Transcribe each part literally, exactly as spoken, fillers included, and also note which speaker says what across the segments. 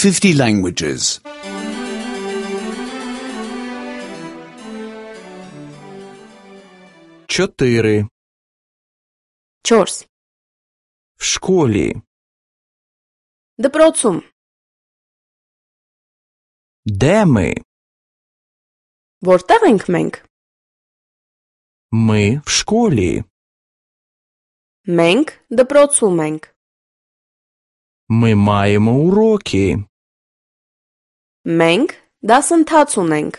Speaker 1: fifty languages.
Speaker 2: Чотири.
Speaker 3: Չորս.
Speaker 2: В школі.
Speaker 3: Դպրոցում.
Speaker 2: Де ми?
Speaker 3: Որտեղ ենք մենք?
Speaker 2: Ми в школі.
Speaker 3: Մենք դպրոցում ենք.
Speaker 2: Ми маємо уроки.
Speaker 3: Մենք դասընթաց ունենք.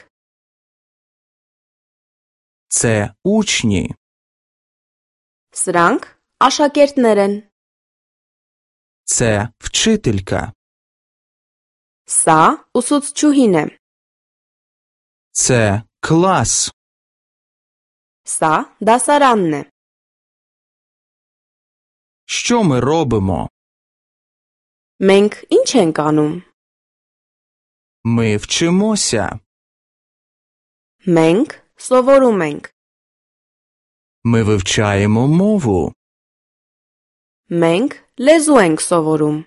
Speaker 2: Це учні.
Speaker 3: Սրանք աշակերտներ են.
Speaker 2: Це вчителька.
Speaker 3: Սա ուսուցչուհին է.
Speaker 2: Це клас.
Speaker 3: Սա դասարանն է.
Speaker 2: Що ми робимо?
Speaker 3: Մենք ինչ ենք անում?
Speaker 2: Ми вчимося.
Speaker 3: Մենք սովորում ենք.
Speaker 2: Ми вивчаємо мову.
Speaker 3: Մենք լեզու ենք սովորում.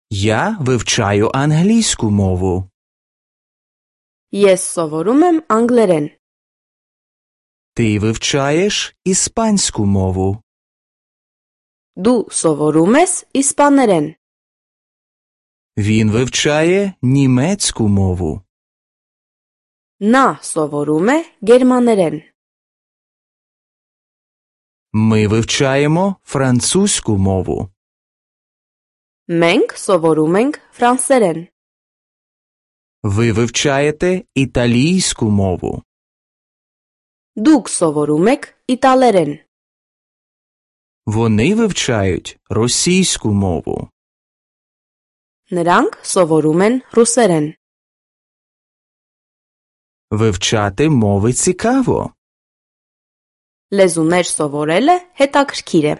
Speaker 2: Я вивчаю англійську мову.
Speaker 3: Ես սովորում եմ անգլերեն.
Speaker 2: Ти вивчаєш іспанську мову.
Speaker 3: Դու սովորում ես իսպաներեն.
Speaker 2: Він вивчає німецьку мову.
Speaker 3: Նա սովորում է գերմաներեն.
Speaker 2: Ми вивчаємо французьку мову.
Speaker 3: Մենք սովորում ենք ֆրանսերեն.
Speaker 2: Ви вивчаєте італійську мову.
Speaker 3: Դուք սովորում եք իտալերեն.
Speaker 2: Вони вивчають російську мову.
Speaker 3: Նրանք սովորում են ռուսերեն.
Speaker 2: Вивчати мови цікаво.
Speaker 3: Լեզուներ սովորելը հետաքրքիր է.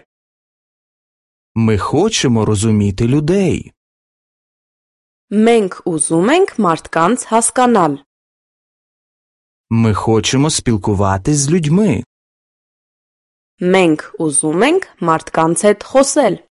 Speaker 2: Ми хочемо розуміти людей.
Speaker 3: Մենք ուզում ենք մարդկանց հասկանալ.
Speaker 2: Ми хочемо спілкуватись з людьми.
Speaker 3: Մենք ուզում ենք մարդկանց հետ խոսել.